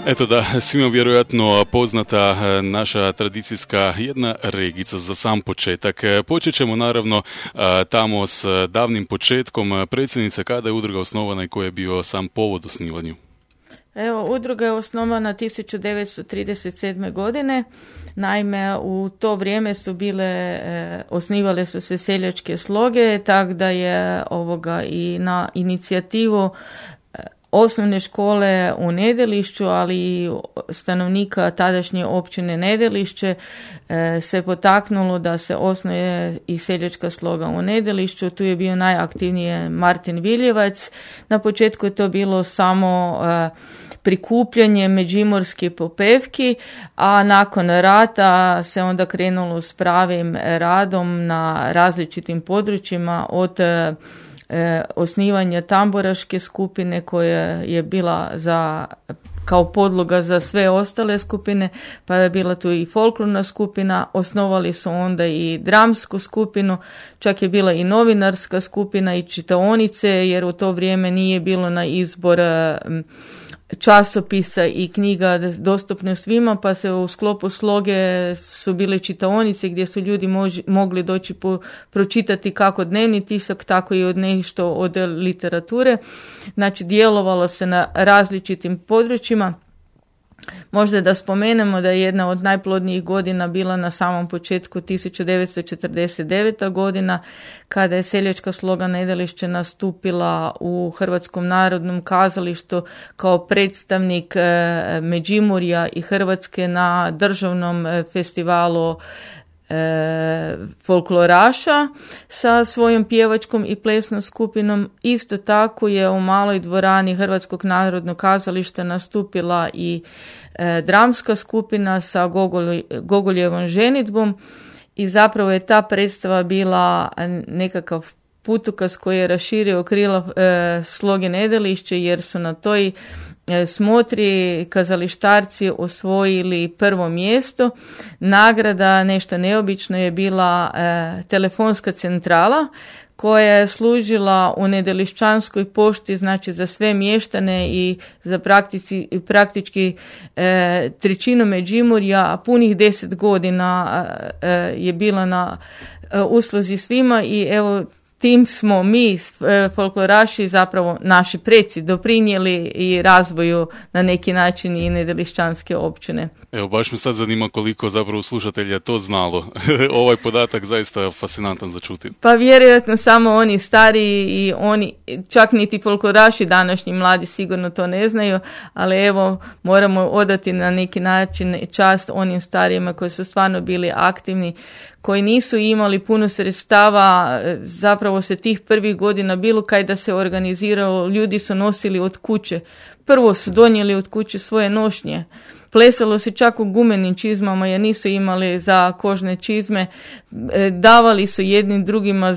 Eto da, svima vjerojatno poznata naša tradicijska jedna regica za sam početak. Počet ćemo naravno tamo s davnim početkom. Predsjednice, kada je udruga osnovana i koji je bio sam povod osnivanju? Evo, udruga je osnovana 1937. godine. Naime, u to vrijeme su osnivale su se seljačke sloge, tako da je i na inicijativu osnovne škole u Nedelišću, ali i stanovnika tadašnje općine Nedelišće se potaknulo da se osnuje i seljačka sloga u Nedelišću. Tu je bio najaktivniji Martin Viljevac. Na početku je to bilo samo prikupljanje međimurskih popevki, a nakon rata se onda krenulo s pravim radom na različitim područjima od osnivanja tamburaške skupine koja je bila kao podloga za sve ostale skupine, pa je bila tu i folklorna skupina, osnovali su onda i dramsku skupinu, čak je bila i novinarska skupina i čitaonice, jer u to vrijeme nije bilo na izbor časopisa i knjiga dostupne svima, pa se u sklopu sloge su bile čitaonice gdje su ljudi mogli doći pročitati kako dnevni tisak, tako i od nešto od literature. Znači, djelovalo se na različitim područjima. Možda da spomenemo da je jedna od najplodnijih godina bila na samom početku 1949. godina, kada je seljačka sloga Nedelišće nastupila u Hrvatskom narodnom kazalištu kao predstavnik Međimurja i Hrvatske na državnom festivalu folkloraša sa svojom pjevačkom i plesnom skupinom. Isto tako je u maloj dvorani Hrvatskog narodnog kazališta nastupila i dramska skupina sa Gogoljevom ženidbom i zapravo je ta predstava bila nekakav putokaz koji je raširio krila sloge Nedelišće, jer su na toj smotri kazalištarci osvojili prvo mjesto. Nagrada, nešto neobično, je bila telefonska centrala koja je služila u Nedelišćanskoj pošti, znači za sve mještane i za praktički trećinu Međimurja, a punih 10 godina je bila na usluzi svima i evo, tim smo mi, folkloraši, zapravo naši preci, doprinijeli i razvoju na neki način i Nedelišćanske općine. Evo, baš me sad zanima koliko zapravo slušatelja to znalo. Ovaj podatak zaista fascinantan za čuti. Pa vjerojatno samo oni stariji i oni, čak niti folkloraši današnji mladi sigurno to ne znaju, ali evo, moramo odati na neki način čast onim starijima koji su stvarno bili aktivni, koji nisu imali puno sredstava. Zapravo se tih prvih godina bilo kaj da se organizirao, ljudi su nosili od kuće. Prvo su donijeli od kuće svoje nošnje. Plesalo se čak u gumenim čizmama jer nisu imali za kožne čizme. Davali su jednim drugima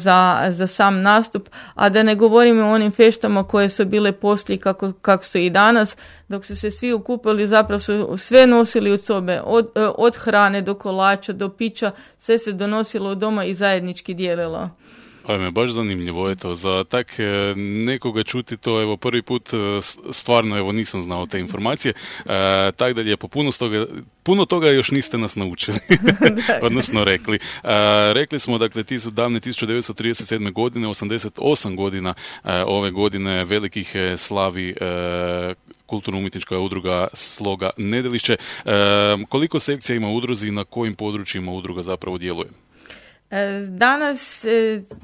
za sam nastup, a da ne govorimo o onim feštama koje su bile poslije kako su i danas. Dok su se svi okupili, zapravo su sve nosili od sobe, od hrane do kolača, do pića, sve se donosilo od doma i zajednički dijelilo. Ajme, baš zanimljivo, eto, za tak nekoga čuti to, evo, prvi put stvarno, evo, nisam znao te informacije, tako da lijepo, puno toga još niste nas naučili, odnosno rekli. Rekli smo, dakle, ti su davne 1937. godine, 88 godina ove godine velikih slavi kulturno-umjetnička udruga Sloga Nedelišće. Koliko sekcija ima udruzi i na kojim područjima udruga zapravo djeluje? Danas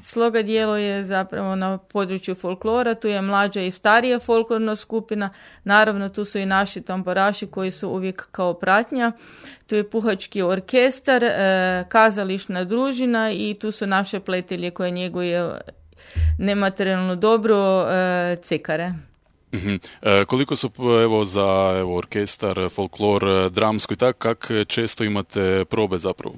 sloga djeluje zapravo na području folklora, tu je mlađa i starija folklorna skupina, naravno tu su i naši tamburaši koji su uvijek kao pratnja, tu je puhački orkestar, kazališna družina i tu su naše pletelje koje njeguje nematerijalno dobro, cekare. Koliko su evo za orkestar, folklor, dramsko i tako, kak često imate probe zapravo?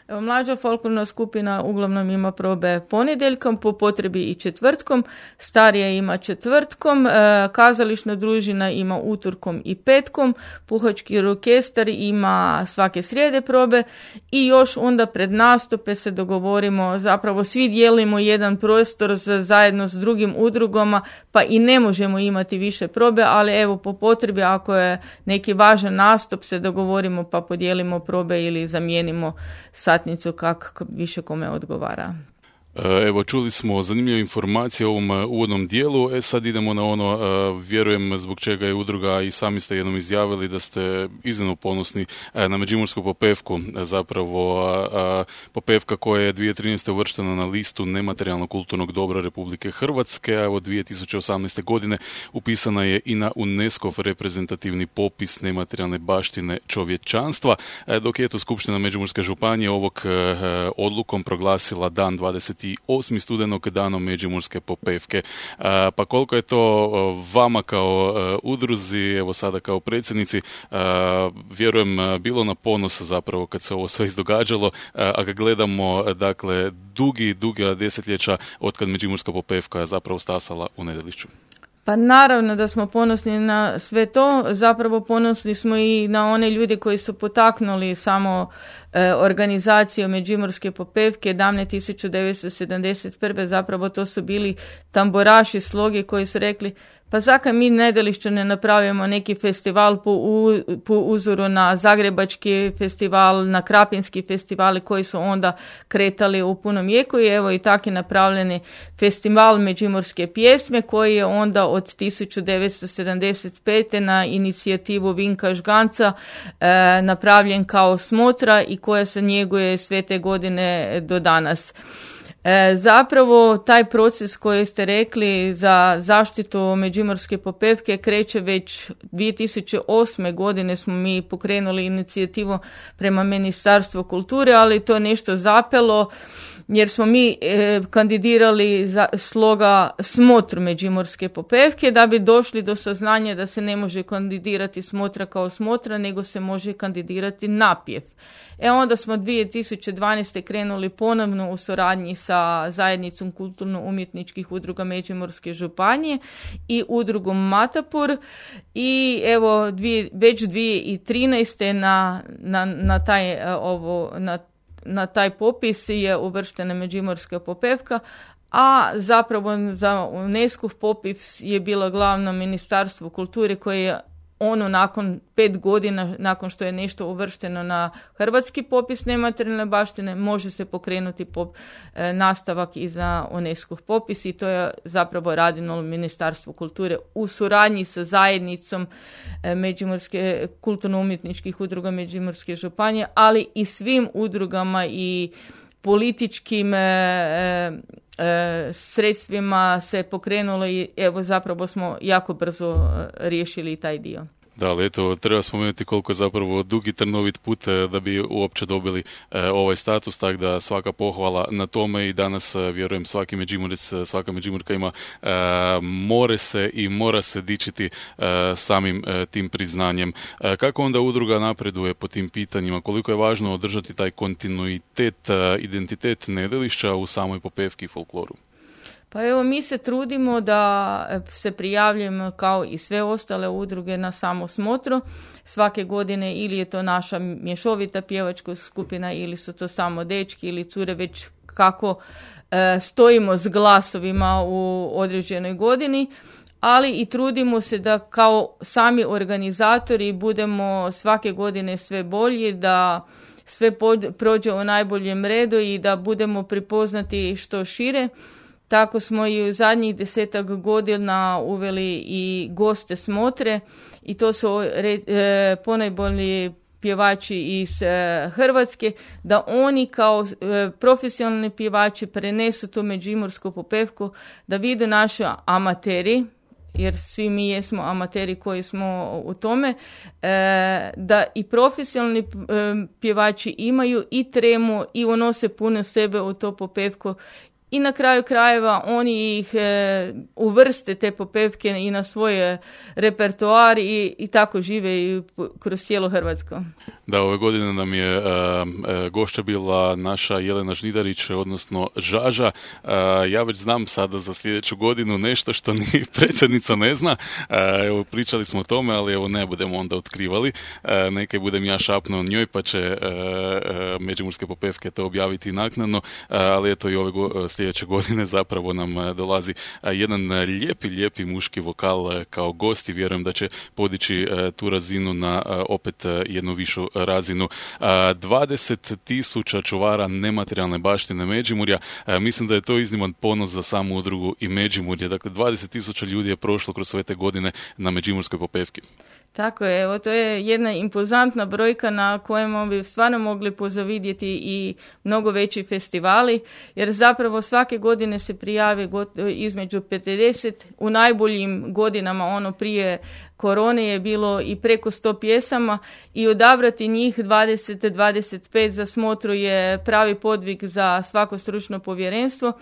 Evo, mlađa folklorna skupina uglavnom ima probe ponedjeljkom, po potrebi i četvrtkom, starija ima četvrtkom, kazališna družina ima utorkom i petkom, puhački orkestar ima svake srijede probe i još onda pred nastupe se dogovorimo, zapravo svi dijelimo jedan prostor zajedno s drugim udrugama, pa i ne možemo imati više probe, ali evo po potrebi ako je neki važan nastup se dogovorimo pa podijelimo probe ili zamijenimo satnicu kako više kome odgovara. Evo, čuli smo zanimljive informacije o ovom uvodnom dijelu. Sad idemo na ono, vjerujem zbog čega je udruga, i sami ste jednom izjavili da ste iznimno ponosni na Međimursku popevku, zapravo popevka koja je 2013. uvrštena na listu nematerijalnog kulturnog dobra Republike Hrvatske, a od 2018. godine upisana je i na UNESCO reprezentativni popis nematerijalne baštine čovječanstva, dok je Skupština Međimurske županije ovog odlukom proglasila dan 28. studenog danom Međimurske popevke. Pa koliko je to vama kao udruzi, evo sada kao predsjednici, vjerujem bilo na ponos zapravo kad se ovo sve izdogađalo, a kad gledamo dakle dugi desetljeća od kad Međimurska popevka zapravo stasala u Nedelišću. Pa naravno da smo ponosni na sve to, zapravo ponosni smo i na one ljude koji su potaknuli samo organizaciju Međimurske popevke davne 1971. Zapravo to su bili tamburaši sloge koji su rekli pa zakaj mi Nedelišću ne napravimo neki festival po uzoru na Zagrebački festival, na Krapinski festivali koji su onda kretali u punom jeku i evo i tako je napravljeni festival Međimurske pjesme koji je onda od 1975. na inicijativu Vinka Žganca napravljen kao smotra i koja se njeguje sve te godine do danas. Zapravo taj proces koji ste rekli za zaštitu Međimurske popevke kreće već 2008. godine smo mi pokrenuli inicijativu prema Ministarstvu kulture, ali to nešto zapelo jer smo mi kandidirali za sloga smotru Međimurske popevke da bi došli do saznanja da se ne može kandidirati smotra kao smotra, nego se može kandidirati napjev. Onda smo 2012. krenuli ponovno u suradnji sa zajednicom kulturno-umjetničkih udruga Međimurske županije i udrugom Matapur i evo već 2013. na taj popis je uvrštena Međimurska popevka, a zapravo za UNESCO popis je bilo glavno Ministarstvo kulture koje je nakon 5 godina, nakon što je nešto uvršteno na hrvatski popis nematerijalne baštine, može se pokrenuti nastavak i za UNESCO popis i to je zapravo radilo Ministarstvo kulture u suradnji sa zajednicom Međimurske kulturno-umjetničkih udruga Međimurske županije, ali i svim udrugama i političkim sredstvima se pokrenulo i evo zapravo smo jako brzo riješili taj dio. Da, ali eto, treba spomenuti koliko je zapravo dugi trnovit put da bi uopće dobili ovaj status, tako da svaka pohvala na tome i danas vjerujem svaki Međimurec, svaka Međimurka ima mora se dičiti samim tim priznanjem. Kako onda udruga napreduje po tim pitanjima? Koliko je važno održati taj kontinuitet, identitet Nedelišća u samoj popevki i folkloru? Pa evo, mi se trudimo da se prijavljujemo kao i sve ostale udruge na samo smotru. Svake godine ili je to naša mješovita pjevačka skupina ili su to samo dečki ili cure, već kako stojimo s glasovima u određenoj godini. Ali i trudimo se da kao sami organizatori budemo svake godine sve bolji, da sve prođe u najboljem redu i da budemo prepoznati što šire. Tako smo i u zadnjih 10 godina uveli i goste smotre i to su ponajbolji pjevači iz Hrvatske, da oni kao profesionalni pjevači prenesu tu međimursku popevku, da vide naši amateri, jer svi mi jesmo amateri koji smo u tome, da i profesionalni pjevači imaju i tremu i unose puno sebe u to popevku i na kraju krajeva oni ih uvrste te popevke i na svoje repertoar i tako žive i kroz cijelu Hrvatsku. Da, ove godine nam je gošća bila naša Jelena Žnidarić, odnosno Žaža. Ja već znam sada za sljedeću godinu nešto što ni predsjednica ne zna. Evo, pričali smo o tome, ali evo ne budemo onda otkrivali. Neke budem ja šapnuo njoj, pa će Međimurske popevke to objaviti naknadno. Ali eto i ove sljedeće godine zapravo nam dolazi jedan lijepi muški vokal kao gost i vjerujem da će podići tu razinu na opet jednu višu razinu. 20.000 čuvara nematerijalne baštine Međimurja. Mislim da je to izniman ponos za samu udrugu i Međimurje. Dakle, 20.000 ljudi je prošlo kroz sve te godine na Međimurskoj popevki. Tako je, evo to je jedna impozantna brojka na kojima bi stvarno mogli pozavidjeti i mnogo veći festivali, jer zapravo svake godine se prijave između 50, u najboljim godinama prije korone je bilo i preko 100 pjesama i odabrati njih 20-25 za smotru je pravi podvig za svako stručno povjerenstvo.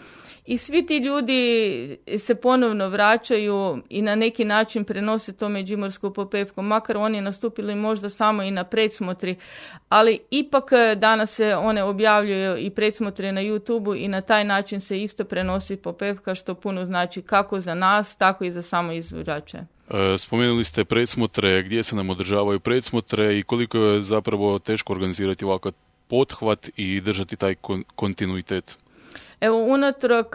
I svi ti ljudi se ponovno vraćaju i na neki način prenose to međimursku popevku, makar oni nastupili možda samo i na predsmotri, ali ipak danas se one objavljuju i predsmotre na YouTubeu i na taj način se isto prenosi popevka, što puno znači kako za nas, tako i za samo izvođače. Spomenuli ste predsmotre, gdje se nam održavaju predsmotre i koliko je zapravo teško organizirati ovakav pothvat i držati taj kontinuitet? Evo, unatrag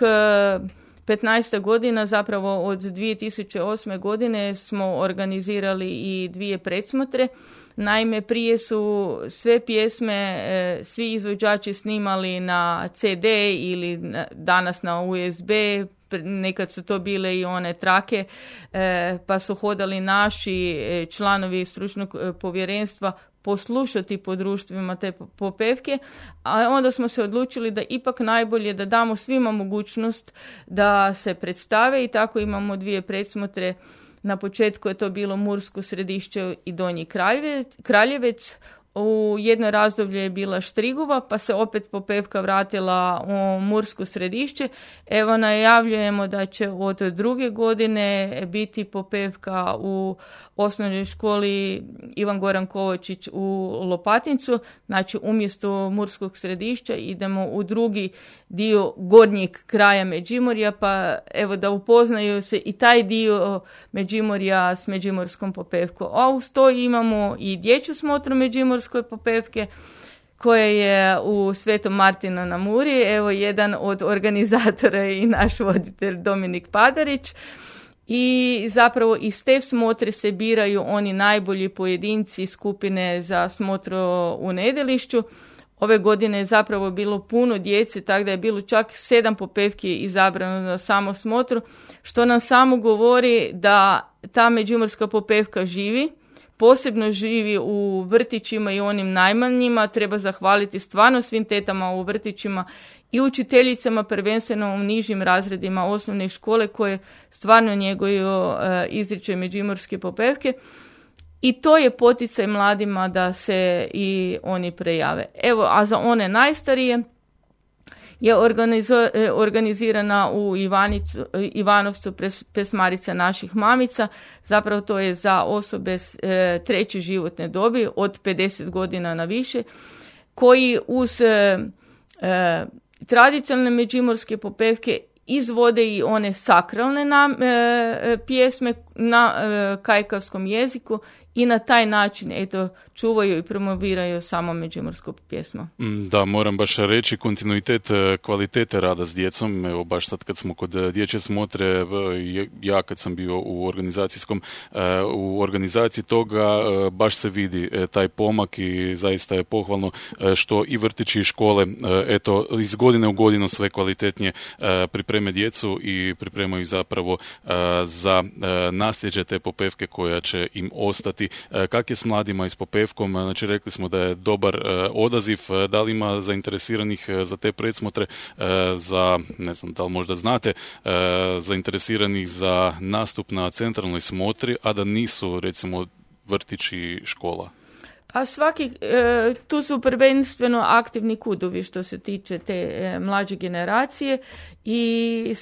15 godina, zapravo od 2008. godine smo organizirali i 2 predsmotre. Naime, prije su sve pjesme, svi izvođači snimali na CD ili danas na USB, nekad su to bile i one trake, pa su hodali naši članovi stručnog povjerenstva poslušati po društvima te popevke, a onda smo se odlučili da ipak najbolje da damo svima mogućnost da se predstave i tako imamo 2 predsmotre. Na početku je to bilo Mursko Središće i Donji Kraljevec. U jedno razdoblje je bila Štrigova, pa se opet popevka vratila u Mursko Središće. Evo, najavljujemo da će od 2. godine biti popevka u osnovnoj školi Ivan Goran Kovačić u Lopatincu. Znači, umjesto Murskog Središća idemo u drugi dio gornjeg kraja Međimurja, pa evo da upoznaju se i taj dio Međimurja s međimurskom popevkom. A uz to imamo i dječju smotru međimurskoj popevke koja je u Svetom Martinu na Muri. Evo, jedan od organizatora i naš voditelj Dominik Padarić. I zapravo iz te smotre se biraju oni najbolji pojedinci skupine za smotru u Nedelišću. Ove godine je zapravo bilo puno djece, tako da je bilo čak 7 popevki izabrano na samo smotru, što nam samo govori da ta međimurska popevka živi, posebno živi u vrtićima i onim najmanjima. Treba zahvaliti stvarno svim tetama u vrtićima i učiteljicama, prvenstveno u nižim razredima osnovne škole, koje stvarno njeguju izričaj međimurske popevke. I to je poticaj mladima da se i oni prejave. Evo, a za one najstarije je organizirana u Ivanovcu pesmarica naših mamica. Zapravo to je za osobe treće životne dobi od 50 godina na više, koji uz tradicionalne međimurske popevke izvode i one sakralne pjesme na kajkavskom jeziku i na taj način čuvaju i promoviraju samo međimursku pjesmu. Da, moram baš reći kontinuitet kvalitete rada s djecom. Evo, baš sad kad smo kod dječje smotre, ja kad sam bio u organizaciji toga, baš se vidi taj pomak i zaista je pohvalno što i vrtići i škole iz godine u godinu sve kvalitetnije pripreme djecu i pripremaju zapravo za nasljeđe te popevke koja će im ostati. Kak je s mladima i s popevkom? Znači, rekli smo da je dobar odaziv. Da li ima zainteresiranih za te predsmotre, za, ne znam, da li možda znate, zainteresiranih za nastup na centralnoj smotri, a da nisu, recimo, vrtići i škola? A tu su prvenstveno aktivni kudovi što se tiče te mlađe generacije i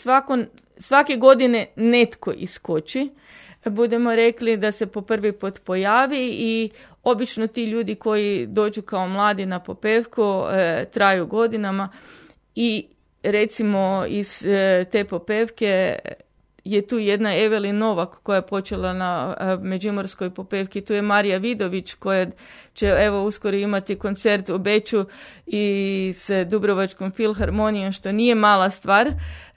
svake godine netko iskoči. Budemo rekli da se po prvi put pojavi i obično ti ljudi koji dođu kao mladi na popevku traju godinama i recimo iz te popevke je tu jedna Evelin Novak koja je počela na Međimurskoj popevki. Tu je Marija Vidović koja će uskoro imati koncert u Beču i s Dubrovačkom filharmonijom, što nije mala stvar.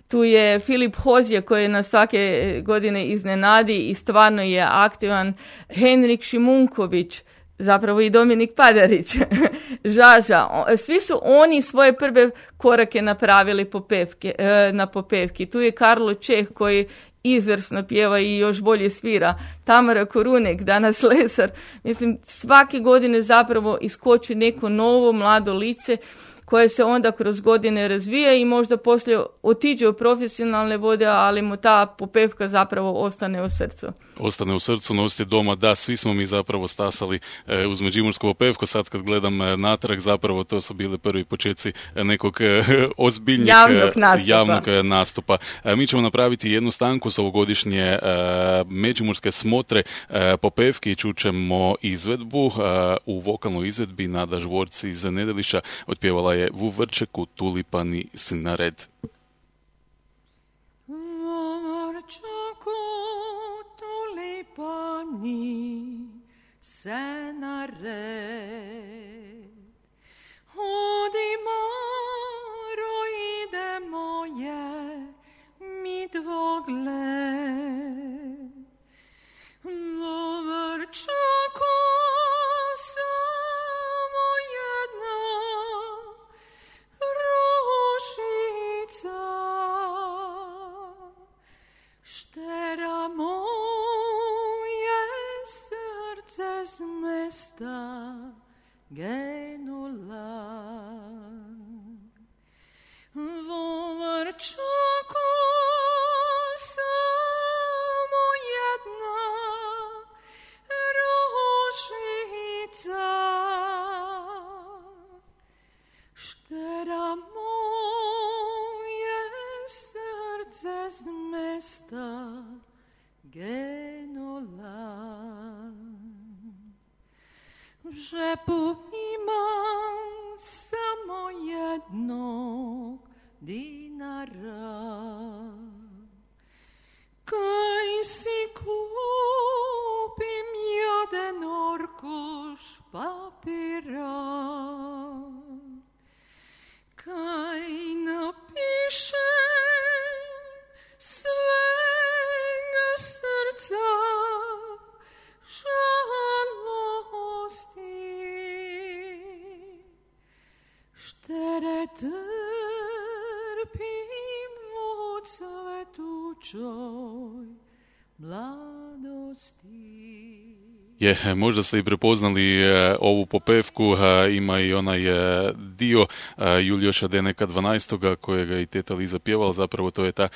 Tu je Filip Hozje koji nas svake godine iznenadi i stvarno je aktivan. Henrik Šimunković, zapravo i Dominik Padarić, Žaža. Svi su oni svoje prve korake napravili na popevki. Tu je Karlo Čeh koji izvrsno pjeva i još bolje svira. Tamara Korunek, danas Lesar. Mislim, svake godine zapravo iskoči neko novo mlado lice koje se onda kroz godine razvija i možda poslije otiđe u profesionalne vode, ali mu ta popevka zapravo ostane u srcu. Ostane u srcu, nosite doma. Da, svi smo mi zapravo stasali uz međimursku popevku. Sad kad gledam natrag, zapravo to su bili prvi početci nekog ozbiljnijeg javnog nastupa. Mi ćemo napraviti jednu stanku s ovogodišnje međimurske smotre popevke i čućemo izvedbu u vokalnoj izvedbi Nada Žvorc iz Nedelišća. Otpjevala je Vu Vrčeku, Tulipani si na red. Tulipani se na red, odi Maro, idemo je mi dvogled. Vrčako samo jedna ružica, štera moje srce z mesta genula. Vrčako samo jedna ružica, štera moje srce z mesta genula. V žepu imam samo jednog dinara, kaj si kupim jeden orkuš papira, kaj napišem svega srca žalosti, štere trpim u cvetućoj mladosti. Možda ste i prepoznali ovu popevku, ima i onaj dio Julioša Deneka 12. kojega i teta Liza pjevala, zapravo to je ta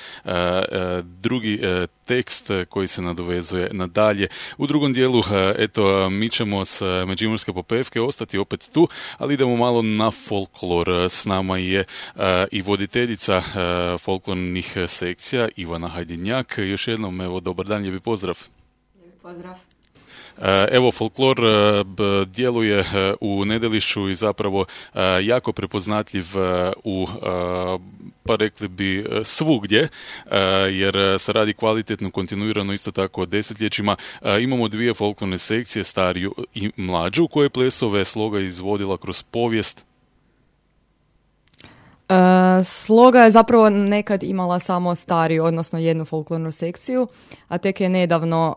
drugi tekst koji se nadovezuje nadalje. U drugom dijelu, mi ćemo s međimurske popevke ostati opet tu, ali idemo malo na folklor. S nama je i voditeljica folklornih sekcija Ivana Hajdinjak. Još jednom, dobar dan, lijepi pozdrav. Lijepi pozdrav. Evo, folklor djeluje u Nedelišću i zapravo jako prepoznatljiv u, pa rekli bi, svugdje, jer se radi kvalitetno, kontinuirano, isto tako desetljećima. Imamo dvije folklorne sekcije, stariju i mlađu, koje plesove Sloga izvodila kroz povijest. Sloga je zapravo nekad imala samo stariju, odnosno jednu folklornu sekciju, a tek je nedavno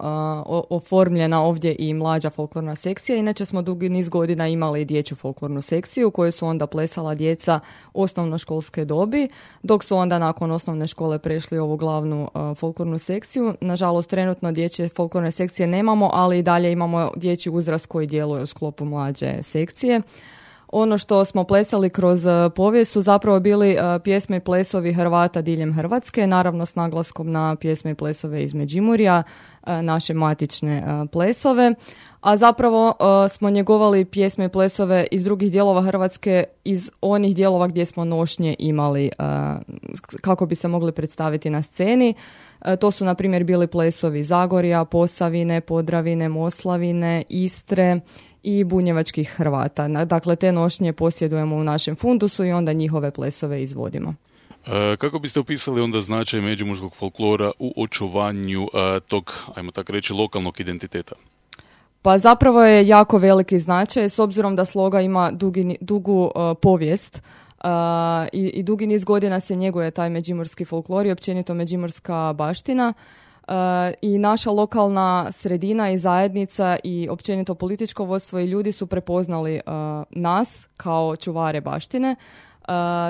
oformljena ovdje i mlađa folklorna sekcija. Inače smo dugi niz godina imali dječju folklornu sekciju koju su onda plesala djeca osnovnoškolske dobi, dok su onda nakon osnovne škole prešli ovu glavnu folklornu sekciju. Nažalost, trenutno dječje folklorne sekcije nemamo, ali i dalje imamo dječji uzrast koji djeluje u sklopu mlađe sekcije. Ono što smo plesali kroz povijest su zapravo bili pjesme i plesovi Hrvata diljem Hrvatske, naravno s naglaskom na pjesme i plesove iz Međimurja, naše matične plesove, a zapravo smo njegovali pjesme i plesove iz drugih dijelova Hrvatske, iz onih dijelova gdje smo nošnje imali kako bi se mogli predstaviti na sceni. To su, na primjer, bili plesovi Zagorja, Posavine, Podravine, Moslavine, Istre i bunjevačkih Hrvata. Dakle, te nošnje posjedujemo u našem fundusu i onda njihove plesove izvodimo. Kako biste opisali onda značaj međimurskog folklora u očuvanju tog, ajmo tako reći, lokalnog identiteta? Pa zapravo je jako veliki značaj, s obzirom da Sloga ima dugu povijest i dugi niz godina se njeguje taj međimurski folklor i općenito međimurska baština. I naša lokalna sredina i zajednica i općenito političko vodstvo i ljudi su prepoznali nas kao čuvare baštine.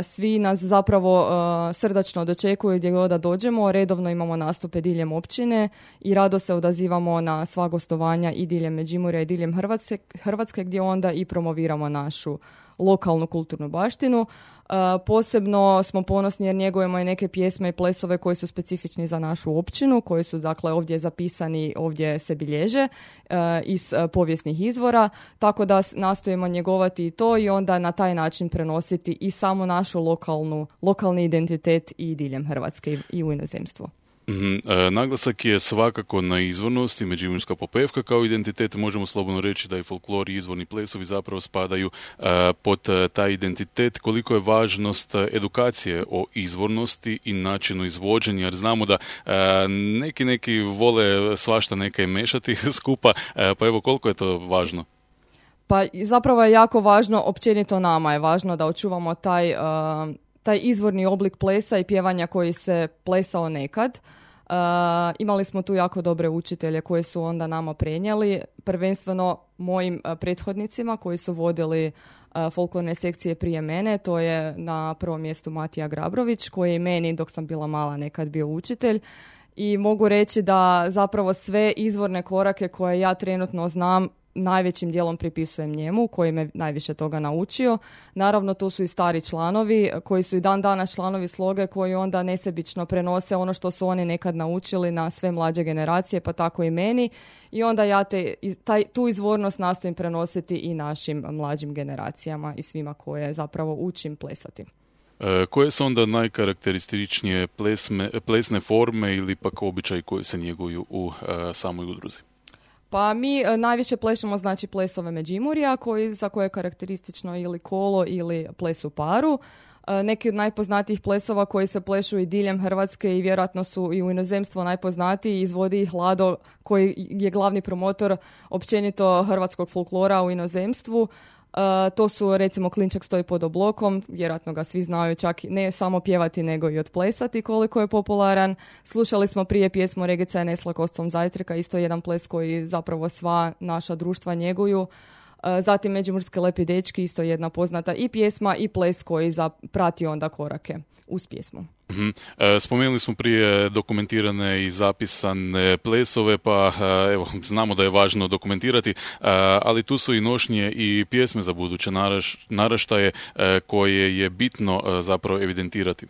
Svi nas zapravo srdačno dočekuju gdje god da dođemo, redovno imamo nastupe diljem općine i rado se odazivamo na sva gostovanja i diljem Međimurja i diljem Hrvatske gdje onda i promoviramo našu lokalnu kulturnu baštinu. Posebno smo ponosni jer njegujemo i neke pjesme i plesove koji su specifični za našu općinu, koji su dakle ovdje zapisani, ovdje se bilježe iz povijesnih izvora, tako da nastojimo njegovati i to i onda na taj način prenositi i samo našu lokalni identitet i diljem Hrvatske i u inozemstvo. Naglasak je svakako na izvornost i međimurska popevka kao identitet. Možemo slobodno reći da i folklor i izvorni plesovi zapravo spadaju pod taj identitet. Koliko je važnost edukacije o izvornosti i načinu izvođenja, jer znamo da neki vole svašta neka i mešati skupa, pa evo koliko je to važno? Pa zapravo je jako važno, općenito nama je važno da očuvamo taj izvorni oblik plesa i pjevanja koji se plesao nekad. Imali smo tu jako dobre učitelje koji su onda nama prenijeli, prvenstveno mojim prethodnicima koji su vodili folklorne sekcije prije mene. To je na prvom mjestu Matija Grabrović koji je meni dok sam bila mala nekad bio učitelj. I mogu reći da zapravo sve izvorne korake koje ja trenutno znam najvećim dijelom pripisujem njemu, koji me najviše toga naučio. Naravno, tu su i stari članovi, koji su i dan danas članovi Sloge, koji onda nesebično prenose ono što su oni nekad naučili na sve mlađe generacije, pa tako i meni. I onda ja tu izvornost nastojim prenositi i našim mlađim generacijama i svima koje zapravo učim plesati. Koje su onda najkarakterističnije plesne forme ili pak običaji koji se njeguju u samoj udruzi? Pa mi najviše plešemo znači plesove Međimurja za koje je karakteristično ili kolo ili ples u paru. Neki od najpoznatijih plesova koji se plešu i diljem Hrvatske i vjerojatno su i u inozemstvu najpoznatiji, izvodi ih Lado koji je glavni promotor općenito hrvatskog folklora u inozemstvu. To su recimo Klinčak stoji pod oblokom, vjerojatno ga svi znaju, čak ne samo pjevati nego i odplesati koliko je popularan. Slušali smo prije pjesmu Regica je nesla kostom zajtrka, isto jedan ples koji zapravo sva naša društva njeguju. Zatim Međimurske lepi dečki, isto jedna poznata i pjesma i ples koji prati onda korake uz pjesmu. Spomenuli smo prije dokumentirane i zapisane plesove, pa evo, znamo da je važno dokumentirati, ali tu su i nošnje i pjesme za buduće naraštaje koje je bitno zapravo evidentirati.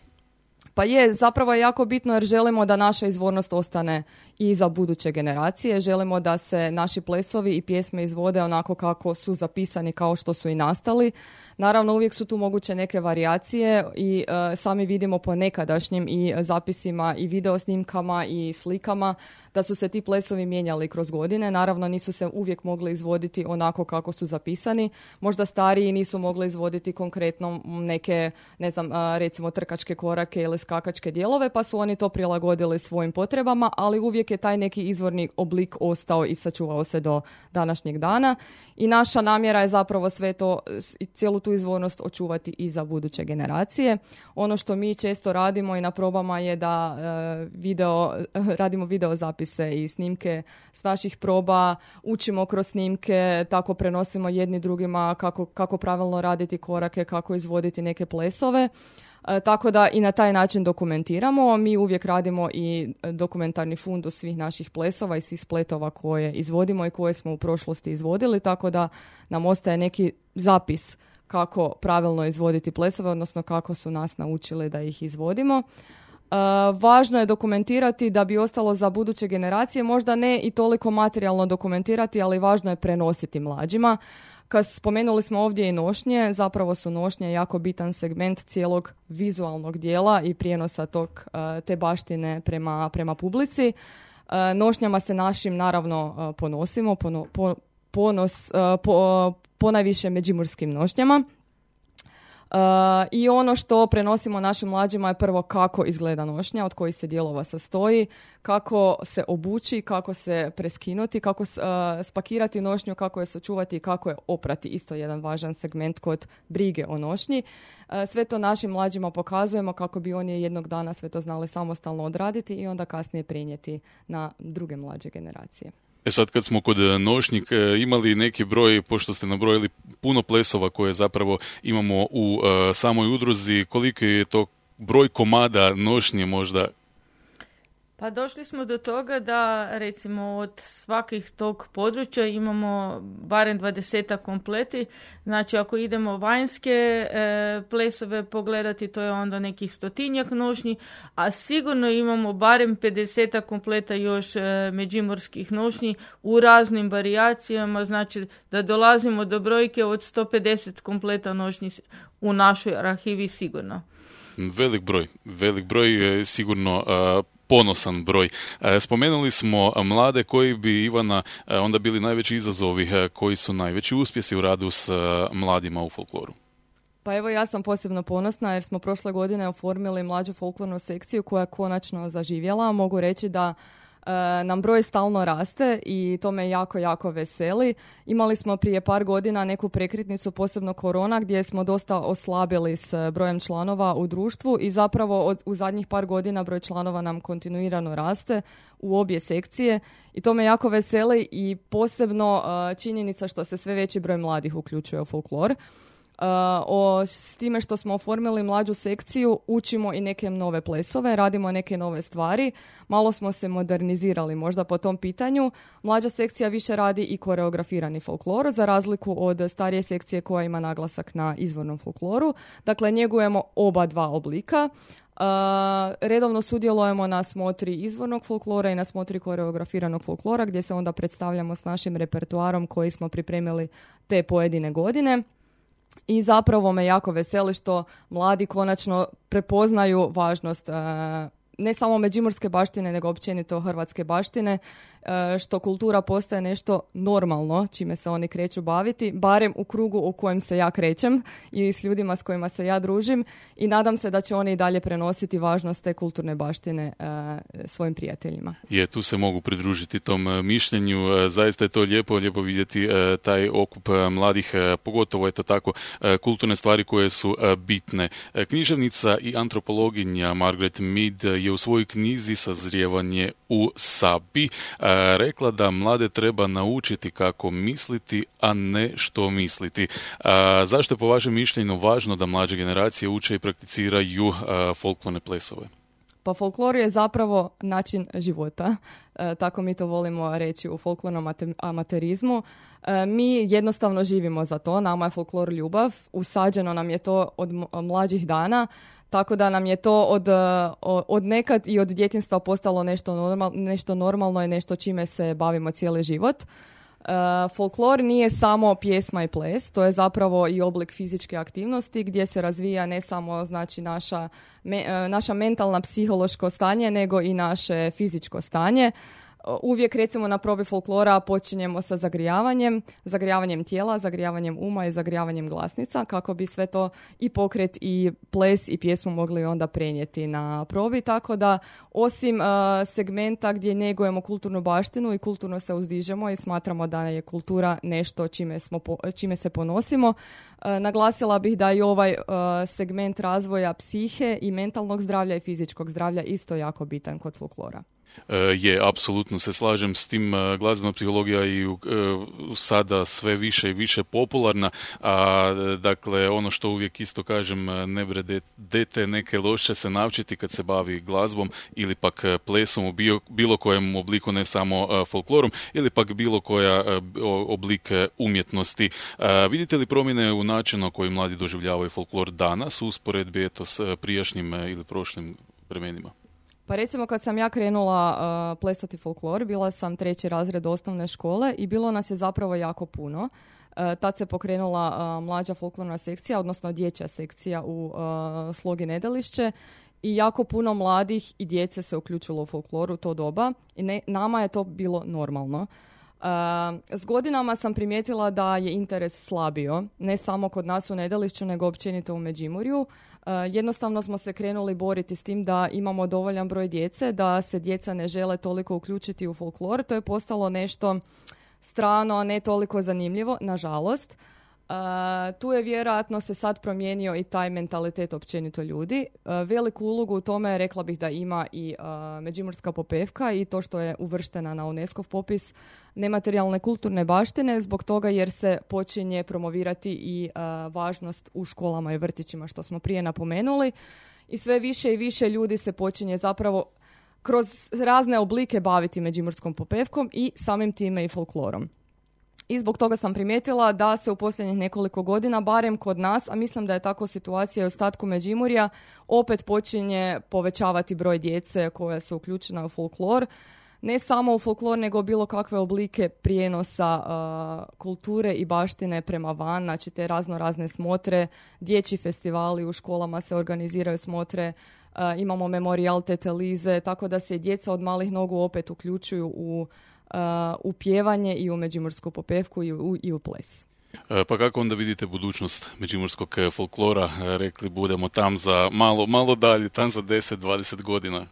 Pa zapravo je jako bitno jer želimo da naša izvornost ostane i za buduće generacije. Želimo da se naši plesovi i pjesme izvode onako kako su zapisani, kao što su i nastali. Naravno, uvijek su tu moguće neke varijacije i sami vidimo po nekadašnjim i zapisima i videosnimkama i slikama da su se ti plesovi mijenjali kroz godine. Naravno, nisu se uvijek mogli izvoditi onako kako su zapisani. Možda stariji nisu mogli izvoditi konkretno neke, ne znam, recimo trkačke korake ili skakačke dijelove, pa su oni to prilagodili svojim potrebama, ali uvijek je taj neki izvorni oblik ostao i sačuvao se do današnjeg dana. I naša namjera je zapravo sve to, cijelu tu izvornost očuvati i za buduće generacije. Ono što mi često radimo i na probama je da radimo video zapise i snimke s naših proba, učimo kroz snimke, tako prenosimo jedni drugima kako pravilno raditi korake, kako izvoditi neke plesove. Tako da i na taj način dokumentiramo. Mi uvijek radimo i dokumentarni fundus svih naših plesova i svih spletova koje izvodimo i koje smo u prošlosti izvodili, tako da nam ostaje neki zapis kako pravilno izvoditi plesove, odnosno kako su nas naučili da ih izvodimo. Važno je dokumentirati da bi ostalo za buduće generacije, možda ne i toliko materijalno dokumentirati, ali važno je prenositi mlađima. Kad spomenuli smo ovdje i nošnje, zapravo su nošnje jako bitan segment cijelog vizualnog dijela i prijenosa te baštine prema publici. Nošnjama se našim naravno ponosimo, ponajviše međimurskim nošnjama. I ono što prenosimo našim mlađima je prvo kako izgleda nošnja, od kojih se dijelova sastoji, kako se obući, kako se preskinuti, kako spakirati nošnju, kako je sačuvati i kako je oprati. Isto jedan važan segment kod brige o nošnji. Sve to našim mlađima pokazujemo kako bi oni jednog dana sve to znali samostalno odraditi i onda kasnije prenijeti na druge mlađe generacije. Sad kad smo kod nošnjik imali neki broj, pošto ste nabrojili puno plesova koje zapravo imamo u samoj udruzi, koliki je to broj komada nošnje možda? Pa došli smo do toga da recimo od svakih tog područja imamo barem 20 kompleti. Znači ako idemo vanjske plesove pogledati, to je onda nekih 100 nošnji, a sigurno imamo barem 50 kompleta još međimurskih nošnji u raznim varijacijama, znači da dolazimo do brojke od 150 kompleta nošnji u našoj arhivi sigurno. Velik broj je sigurno ponosan broj. Spomenuli smo mlade koji bi, Ivana, onda bili najveći izazovi, koji su najveći uspjesi u radu s mladima u folkloru. Pa evo ja sam posebno ponosna jer smo prošle godine oformili mlađu folklornu sekciju koja je konačno zaživjela. Mogu reći da nam broj stalno raste i to me jako, jako veseli. Imali smo prije par godina neku prekretnicu, posebno korona, gdje smo dosta oslabili s brojem članova u društvu i zapravo u zadnjih par godina broj članova nam kontinuirano raste u obje sekcije i to me jako veseli i posebno činjenica što se sve veći broj mladih uključuje u folklor. S time što smo oformili mlađu sekciju, učimo i neke nove plesove, radimo neke nove stvari, malo smo se modernizirali možda po tom pitanju. Mlađa sekcija više radi i koreografirani folklor, za razliku od starije sekcije koja ima naglasak na izvornom folkloru. Dakle, njegujemo oba dva oblika. Redovno sudjelujemo na smotri izvornog folklora i na smotri koreografiranog folklora, gdje se onda predstavljamo s našim repertoarom koji smo pripremili te pojedine godine. I zapravo me jako veseli što mladi konačno prepoznaju važnost ne samo međimurske baštine, nego općenito hrvatske baštine, što kultura postaje nešto normalno, čime se oni kreću baviti, barem u krugu u kojem se ja krećem i s ljudima s kojima se ja družim i nadam se da će oni i dalje prenositi važnost te kulturne baštine svojim prijateljima. Tu se mogu pridružiti tom mišljenju, zaista je to lijepo vidjeti taj okup mladih, pogotovo tako kulturne stvari koje su bitne. Književnica i antropologinja Margaret Mead je u svojoj knjizi Sazrijevanje u Sabi rekla da mlade treba naučiti kako misliti, a ne što misliti. Zašto je po vašem mišljenju važno da mlađe generacije uče i prakticiraju folklorne plesove? Pa folklor je zapravo način života, tako mi to volimo reći u folklornom amaterizmu. Mi jednostavno živimo za to, nama je folklor ljubav, usađeno nam je to od mlađih dana, tako da nam je to od nekad i od djetinjstva postalo nešto normalno i nešto čime se bavimo cijeli život. Folklor nije samo pjesma i ples, to je zapravo i oblik fizičke aktivnosti gdje se razvija ne samo znači naša mentalna psihološko stanje, nego i naše fizičko stanje. Uvijek recimo na probi folklora počinjemo sa zagrijavanjem tijela, zagrijavanjem uma i zagrijavanjem glasnica kako bi sve to i pokret i ples i pjesmu mogli onda prenijeti na probi. Tako da osim segmenta gdje njegujemo kulturnu baštinu i kulturno se uzdižemo i smatramo da je kultura nešto čime se ponosimo, naglasila bih da i ovaj segment razvoja psihe i mentalnog zdravlja i fizičkog zdravlja isto jako bitan kod folklora. Je, apsolutno se slažem s tim. Glazbena psihologija je sada sve više i više popularna, a dakle ono što uvijek isto kažem, ne bre dete neke loše se naučiti kad se bavi glazbom ili pak plesom u bilo kojem obliku, ne samo folklorom, ili pak bilo koja oblik umjetnosti. Vidite li promjene u načinu na koji mladi doživljavaju folklor danas u usporedbi s prijašnjim ili prošlim vremenima? Pa recimo kad sam ja krenula plesati folklor, bila sam 3. razred osnovne škole i bilo nas je zapravo jako puno. Tad se pokrenula mlađa folklorna sekcija, odnosno dječja sekcija u Slogi Nedelišće i jako puno mladih i djece se uključilo u folkloru u to doba i nama je to bilo normalno. S godinama sam primijetila da je interes slabio, ne samo kod nas u Nedelišću, nego općenito u Međimurju. Jednostavno smo se krenuli boriti s tim da imamo dovoljan broj djece, da se djeca ne žele toliko uključiti u folklor. To je postalo nešto strano, ne toliko zanimljivo, nažalost. Tu je vjerojatno se sad promijenio i taj mentalitet općenito ljudi. Veliku ulogu u tome rekla bih da ima i Međimurska popevka i to što je uvrštena na UNESCO popis nematerijalne kulturne baštine, zbog toga jer se počinje promovirati i važnost u školama i vrtićima, što smo prije napomenuli. I sve više i više ljudi se počinje zapravo kroz razne oblike baviti međimurskom popevkom i samim time i folklorom. I zbog toga sam primijetila da se u posljednjih nekoliko godina, barem kod nas, a mislim da je tako situacija i u ostatku Međimurja, opet počinje povećavati broj djece koja su uključena u folklor. Ne samo u folklor, nego bilo kakve oblike prijenosa kulture i baštine prema van, znači te razne smotre, dječji festivali u školama se organiziraju smotre, imamo memorijal Tete Lize, tako da se djeca od malih nogu opet uključuju u pjevanje i u međimursku popevku i u ples. Pa kako onda vidite budućnost međimurskog folklora? Rekli budemo tam za malo dalje, tam za 10-20 godina.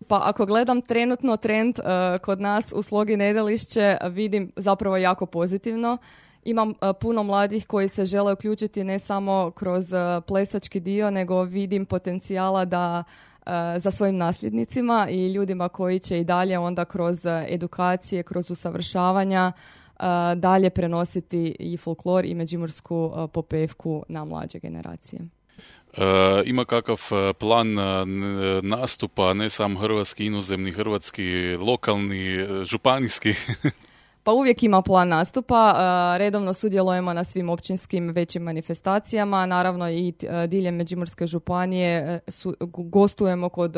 Pa ako gledam trenutno trend kod nas u Slogi Nedelišće, vidim zapravo jako pozitivno. Imam puno mladih koji se žele uključiti ne samo kroz plesački dio, nego vidim potencijala da za svojim nasljednicima i ljudima koji će i dalje onda kroz edukacije, kroz usavršavanja dalje prenositi i folklor i međimursku popevku na mlađe generacije. Ima kakav plan nastupa, ne samo hrvatski, inozemni, hrvatski, lokalni, županijski? Pa uvijek ima plan nastupa, redovno sudjelujemo na svim općinskim većim manifestacijama, naravno i diljem Međimurske županije gostujemo kod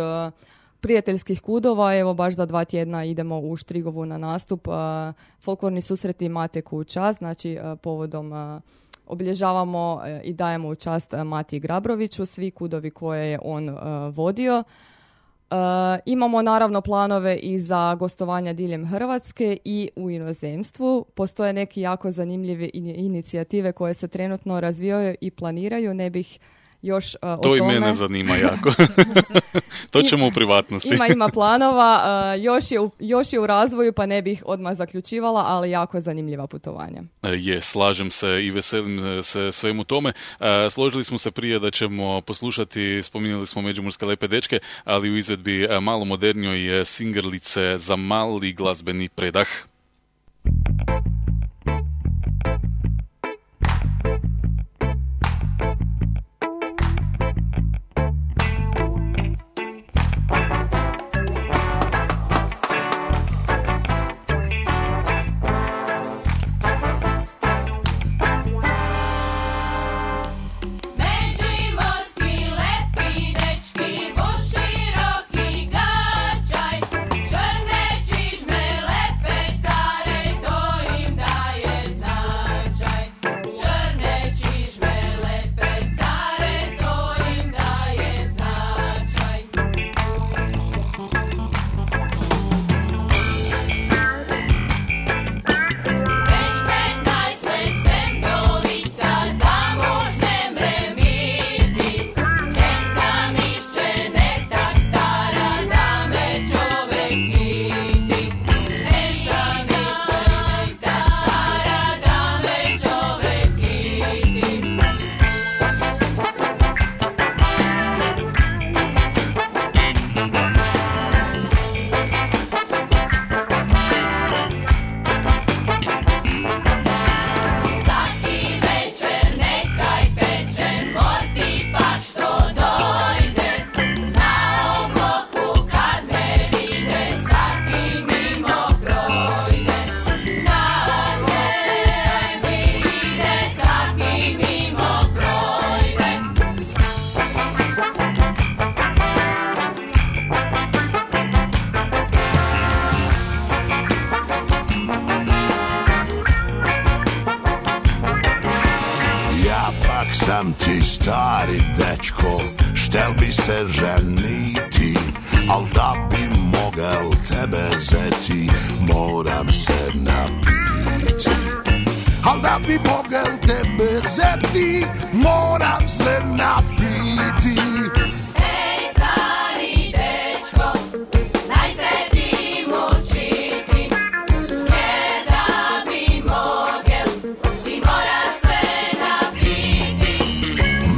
prijateljskih kudova, evo baš za 2 tjedna idemo u Štrigovu na nastup, folklorni susreti Mateku u čast, znači povodom obilježavamo i dajemo u čast Matiji Grabroviću, svi kudovi koje je on vodio. Imamo naravno planove i za gostovanja diljem Hrvatske i u inozemstvu. Postoje neki jako zanimljive inicijative koje se trenutno razvijaju i planiraju. Ne bih još o tome. To i mene zanima jako. To ćemo u privatnosti. Ima planova, još je u razvoju, pa ne bih odmah zaključivala, ali jako zanimljiva putovanja. Slažem se i veselim se svemu tome. Složili smo se prije da ćemo poslušati, spominjali smo Međimurske lepe dečke, ali u izvedbi malo modernjoj singerlice za mali glazbeni predah. Črne čižme lepe sam ti stari dečko, štel bi se ženiti, al da bi mogel tebe zeti, moram se napiti. Al da bi mogel tebe zeti, moram se napiti. Ej, stari dečko, daj se ti mučiti, jer da bi mogel, ti moraš se napiti.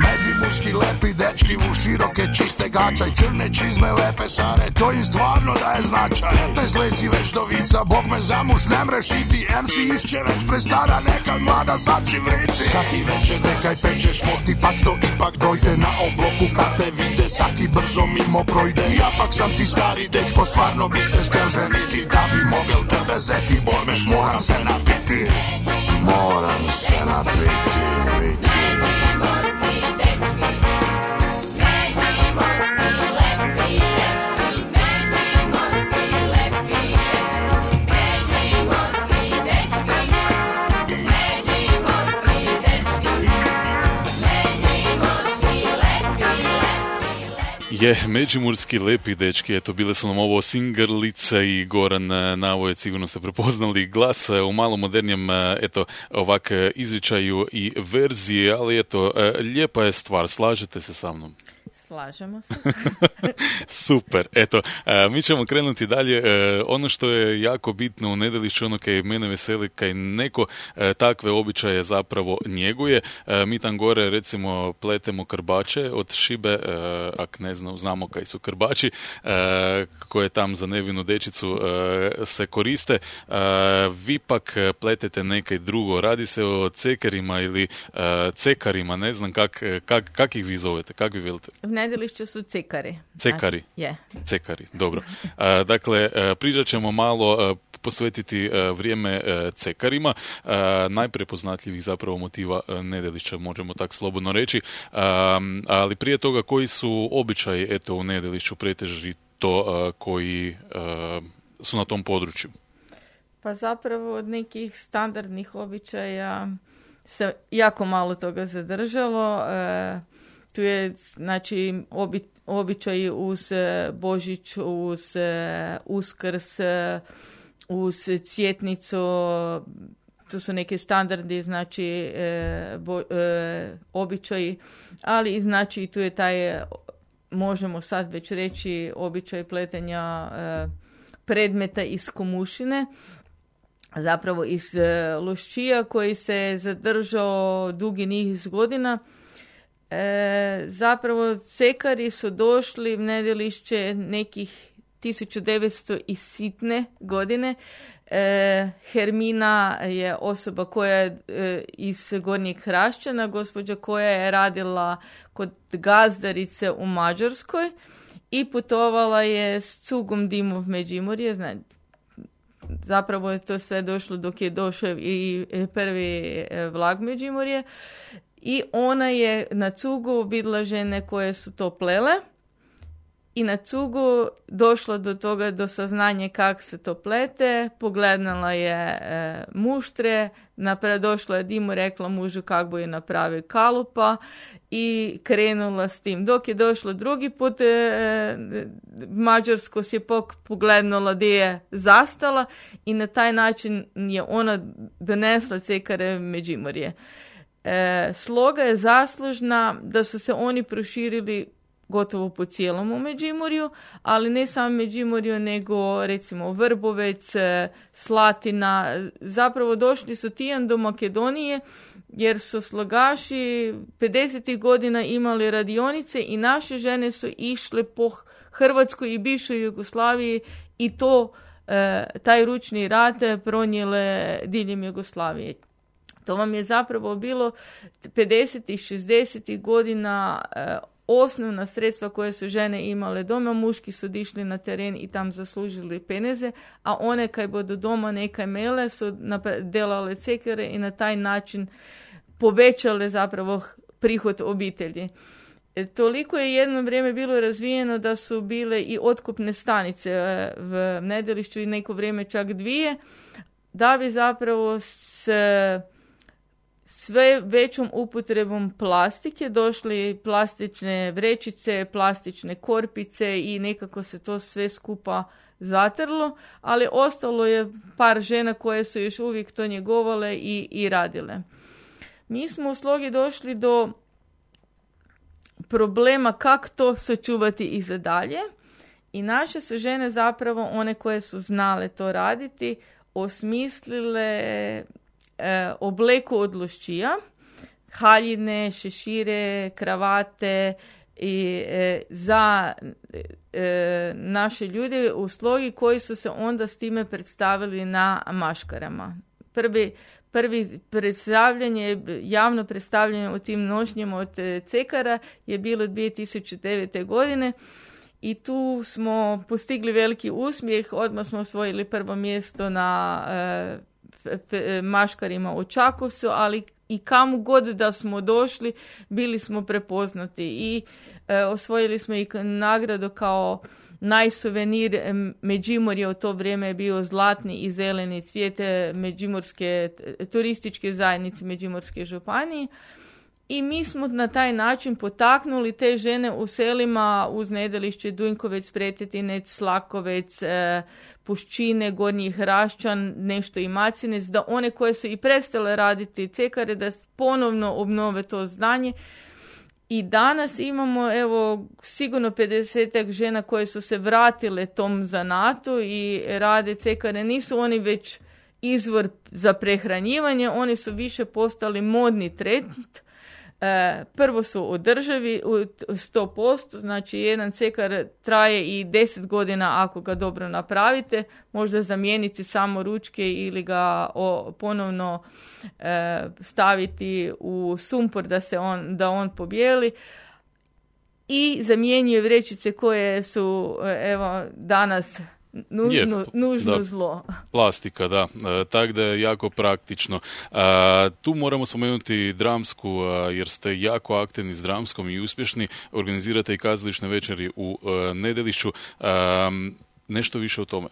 Međimurski lepi dečki u široke čiste gača i crne čizme lepe sare, to im stvarno daje značaj. 15 leci već do vica, Bog me za muž ne mrešiti, MC išće već prestara, nekad mlada sad će vriti. Saki večer nekaj pečeš, ti pak što ipak dojde na obloku kad te vide, saki brzo mimo projde. Ja pak sam ti stari dečko, stvarno bi se štel ženiti, da bi mogel tebe zeti, bormeš moram se napiti, moram se napiti. Je, međimurski lepi dečki, eto, bile su nam ovo Singrlice i Goran Navojec, sigurno ste prepoznali glas u malo modernijem, eto, ovak izričaju i verziji, ali eto, lijepa je stvar, slažete se sa mnom? Slažemo se. Super, eto, mi ćemo krenuti dalje. Ono što je jako bitno u Nedelišću, ono kaj mene veseli, kaj neko takve običaje zapravo njeguje. Mi tam gore, recimo, pletemo krbače od šibe, ak ne znamo kaj su krbači, koje tam za nevinu dečicu se koriste. Vi pak pletete nekaj drugo. Radi se o cekerima ili cekarima, ne znam kak ih vi zovete, kak vi velite? U Nedelišću su cekari. Cekari? Je. Cekari, dobro. Dakle, pričat ćemo malo, posvetiti vrijeme cekarima, najprepoznatljivih zapravo motiva Nedelišća, možemo tak slobodno reći, ali prije toga koji su običaji, eto, u Nedelišću pretežito koji su na tom području? Pa zapravo od nekih standardnih običaja se jako malo toga zadržalo. Tu je, znači, običaji uz Božić, uz Uskrs, uz Cvjetnicu, to su neke standardi, znači, običaji, ali znači tu je taj, možemo sad već reći, običaj pletenja predmeta iz komušine, zapravo iz loščija koji se zadržao dugi niz godina. Zapravo cekari su došli u Nedelišće nekih 1900 i sitne godine. Hermina je osoba koja je iz Gornjeg Hrašćana, gospođa koja je radila kod gazdarice u Mađarskoj i putovala je s cugom Dimov Međimurje. Zapravo je to sve došlo dok je došao i prvi vlak Međimurje. I ona je na cugu vidjela žene koje su to plele i na cugu došla do toga, do saznanja kako se to plete, pogledala je muštre, došla je Dimu, rekla mužu kako bi je napravio kalupa i krenula s tim. Dok je došla drugi put Mađarsko si je pogledala gdje je zastala i na taj način je ona donesla cekare Međimurje. Sloga je zaslužna da su se oni proširili gotovo po cijelom u Međimurju, ali ne samo Međimurju, nego recimo Vrbovec, Slatina. Zapravo došli su tijan do Makedonije jer su slogaši 50. godina imali radionice i naše žene su išle po Hrvatskoj i bivšoj Jugoslaviji i to taj ručni rad pronijele diljem Jugoslavije. To vam je zapravo bilo 50. i 60. godina osnovna sredstva koje su žene imale doma. Muški su išli na teren i tam zaslužili peneze, a one kaj bodo doma nekaj mele su delale cekare i na taj način povećale zapravo prihod obitelji. Toliko je jedno vrijeme bilo razvijeno da su bile i otkupne stanice v Nedelišću i neko vrijeme čak 2, da bi zapravo sve većom upotrebom plastike došli plastične vrećice, plastične korpice i nekako se to sve skupa zatrlo, ali ostalo je par žena koje su još uvijek to njegovale i radile. Mi smo u Slogi došli do problema kako to sačuvati i za dalje i naše su žene zapravo, one koje su znale to raditi, osmislile obleku od lušćija, haljine, šešire, kravate i za naše ljude u Slogi koji su se onda s time predstavili na maškarama. Prvi predstavljanje, javno predstavljanje u tim nošnjama od cekara je bilo 2009. godine i tu smo postigli veliki uspjeh, odmah smo osvojili prvo mjesto na maškarima u Čakovcu, ali i kamo god da smo došli, bili smo prepoznati i osvojili smo i nagradu kao najsuvenir Međimurja. U to vrijeme je bio zlatni i zeleni cvijet Međimurske turističke zajednice Međimurske županije. I mi smo na taj način potaknuli te žene u selima uz Nedelišće, Dunjkovec, Pretetinec, Slakovec, Puščine, Gornji Hraščan, nešto i Macinec, da one koje su i prestale raditi cekare, da ponovno obnove to znanje. I danas imamo, evo, sigurno 50 žena koje su se vratile tom zanatu i rade cekare. Nisu oni već izvor za prehranjivanje, oni su više postali modni trend. Prvo su održivi u 100%, znači jedan cekar traje i 10 godina ako ga dobro napravite, možda zamijeniti samo ručke ili ga ponovno staviti u sumpor da on pobijeli i zamjenjuje vrećice koje su evo danas nužno zlo. Plastika, da. Tako da je jako praktično. Tu moramo spomenuti dramsku, jer ste jako aktivni s dramskom i uspješni. Organizirate i kazališne večeri u Nedelišću. Nešto više o tome.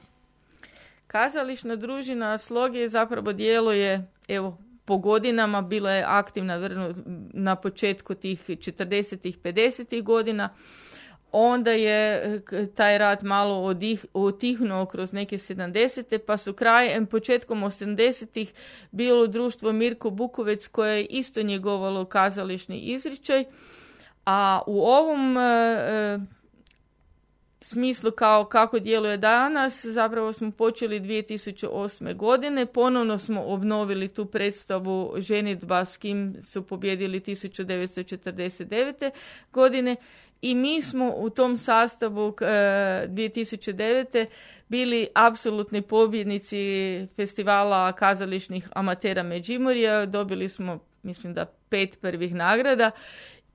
Kazališna družina Sloge zapravo djeluje, evo, po godinama, bila je aktivna na početku tih 40-ih, 50-ih godina. Onda je taj rad malo otihnuo kroz neke 70. pa su početkom 80-ih bilo društvo Mirko Bukovec koje je isto njegovalo kazališni izričaj. A u ovom smislu kako djeluje danas, zapravo smo počeli 2008. godine. Ponovno smo obnovili tu predstavu Ženidba s kim su pobjedili 1949. godine. I mi smo u tom sastavu 2009. bili apsolutni pobjednici festivala kazališnih amatera Međimurja. Dobili smo, mislim da 5 prvih nagrada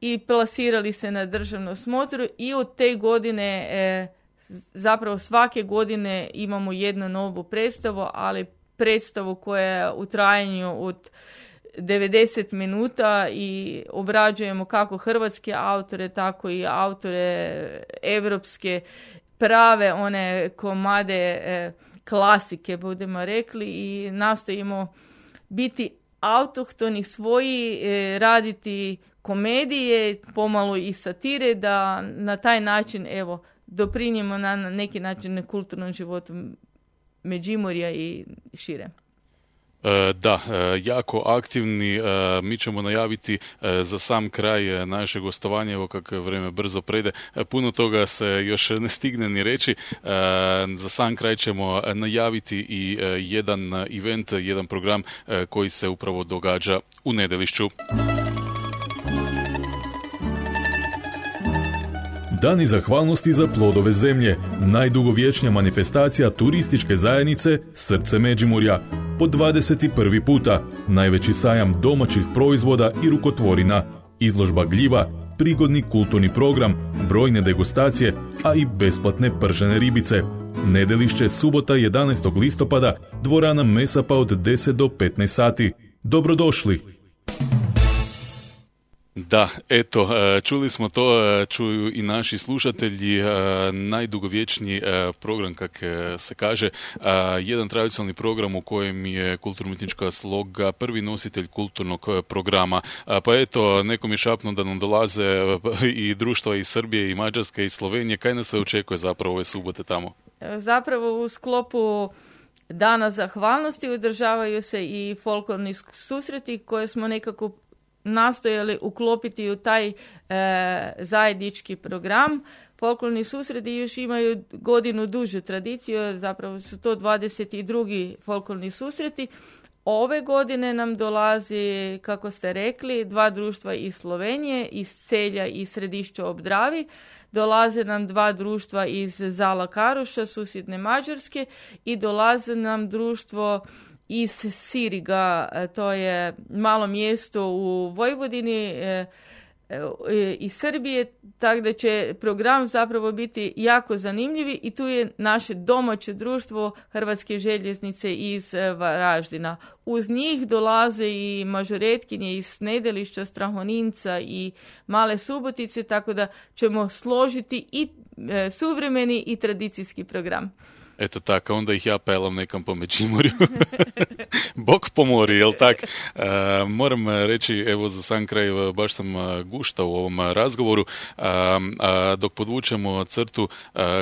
i plasirali se na državnu smotru i od te godine, zapravo svake godine imamo jednu novu predstavu, ali predstavu koja je u trajanju od 90 minuta i obrađujemo kako hrvatske autore, tako i autore evropske, prave one komade klasike, budemo rekli, i nastojimo biti autohtoni svoji, raditi komedije, pomalo i satire, da na taj način, evo, doprinjemo na neki način kulturnom životu Međimurja i šire. Da, jako aktivni. Mi ćemo najaviti za sam kraj naše gostovanje, evo kako vrijeme brzo prede. Puno toga se još ne stigne ni reći. Za sam kraj ćemo najaviti i jedan event, jedan program koji se upravo događa u Nedelišću. Dani zahvalnosti za plodove zemlje, najdugovječnija manifestacija turističke zajednice Srce Međimurja. Po 21. puta, najveći sajam domaćih proizvoda i rukotvorina, izložba gljiva, prigodni kulturni program, brojne degustacije, a i besplatne pržene ribice. Nedelišće, subota 11. listopada, dvorana Mesapa od 10 do 15 sati. Dobrodošli! Da, eto, čuli smo to, čuju i naši slušatelji, najdugovječniji program, kak se kaže, jedan tradicionalni program u kojem je Kulturno-umjetnička sloga prvi nositelj kulturnog programa. Pa eto, nekom je šapno da nam dolaze i društva iz Srbije, i Mađarske, i Slovenije. Kaj nas se očekuje zapravo ove subote tamo? Zapravo u sklopu Dana zahvalnosti održavaju se i folklorni susreti koje smo nekako nastojali uklopiti u taj zajednički program. Folklorni susreti još imaju godinu dužu tradiciju, zapravo su to 22. folklorni susreti. Ove godine nam dolazi, kako ste rekli, 2 društva iz Slovenije, iz Celja i Središća ob Dravi. Dolaze nam 2 društva iz Zala Karuša, susjedne Mađarske, i dolaze nam društvo iz Siriga, to je malo mjesto u Vojvodini, iz Srbije, tako da će program zapravo biti jako zanimljiv i tu je naše domaće društvo Hrvatske željeznice iz Varaždina. Uz njih dolaze i mažoretkinje iz Nedelišća, Strahoninca i Male Subotice, tako da ćemo složiti i suvremeni i tradicijski program. Eto tako, onda ih ja pelam nekam po Međimurju. Bog pomori, jel tak? Moram reći, evo za sam kraj, baš sam guštao u ovom razgovoru, dok podvučemo crtu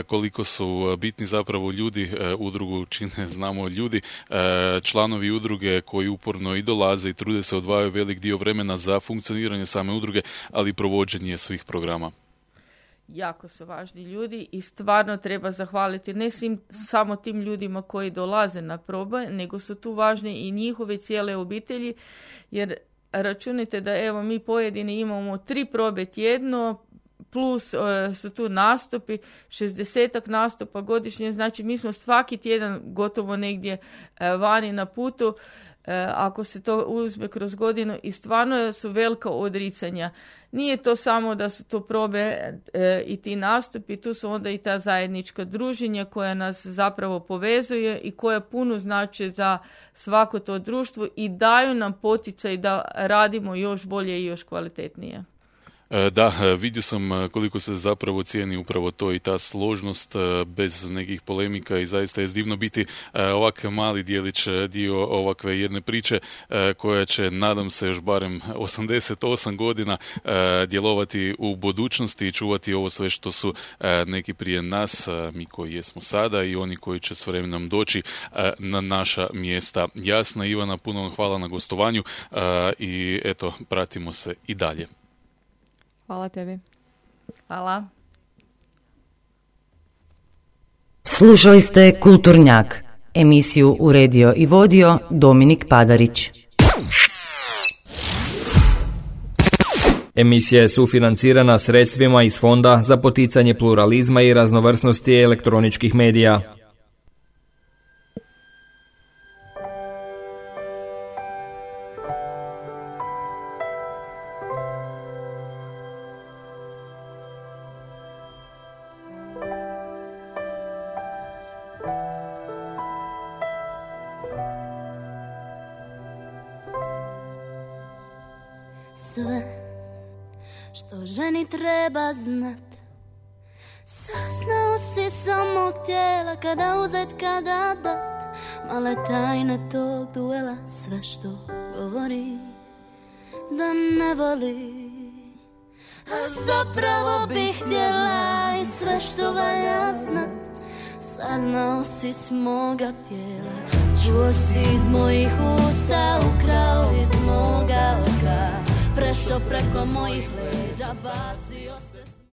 koliko su bitni zapravo ljudi, udrugu čine, znamo ljudi, članovi udruge koji uporno i dolaze i trude se, odvajaju velik dio vremena za funkcioniranje same udruge, ali i provođenje svih programa. Jako su važni ljudi i stvarno treba zahvaliti ne samo tim ljudima koji dolaze na probe, nego su tu važni i njihove cijele obitelji, jer računite da evo mi pojedini imamo 3 probe tjedno, plus su tu nastupi, 60 nastupa godišnje, znači mi smo svaki tjedan gotovo negdje vani na putu, ako se to uzme kroz godinu, i stvarno su velika odricanja. Nije to samo da su to probe i ti nastupi, tu su onda i ta zajednička druženja koja nas zapravo povezuje i koja puno znači za svako to društvo i daju nam poticaj da radimo još bolje i još kvalitetnije. Da, vidio sam koliko se zapravo cijeni upravo to i ta složnost bez nekih polemika i zaista je divno biti ovak mali dijelić, dio ovakve jedne priče koja će, nadam se, još barem 88 godina djelovati u budućnosti i čuvati ovo sve što su neki prije nas, mi koji jesmo sada i oni koji će s vremenom doći na naša mjesta. Jasna, Ivana, puno vam hvala na gostovanju i eto, pratimo se i dalje. Hvala tebi. Hvala. Slušali ste Kulturnjak, emisiju uredio i vodio Dominik Padarić. Emisija je sufinancirana sredstvima iz Fonda za poticanje pluralizma i raznovrsnosti elektroničkih medija. Sve što ženi treba znat, saznao si samog tijela, kada uzet, kada dat, male tajne tog duela, sve što govori da ne voli, a zapravo bih htjela i sve što valja znat, saznao si s moga tijela, čuo si iz mojih usta, ukrao iz moga oka, prešao preko mojih leđa, bac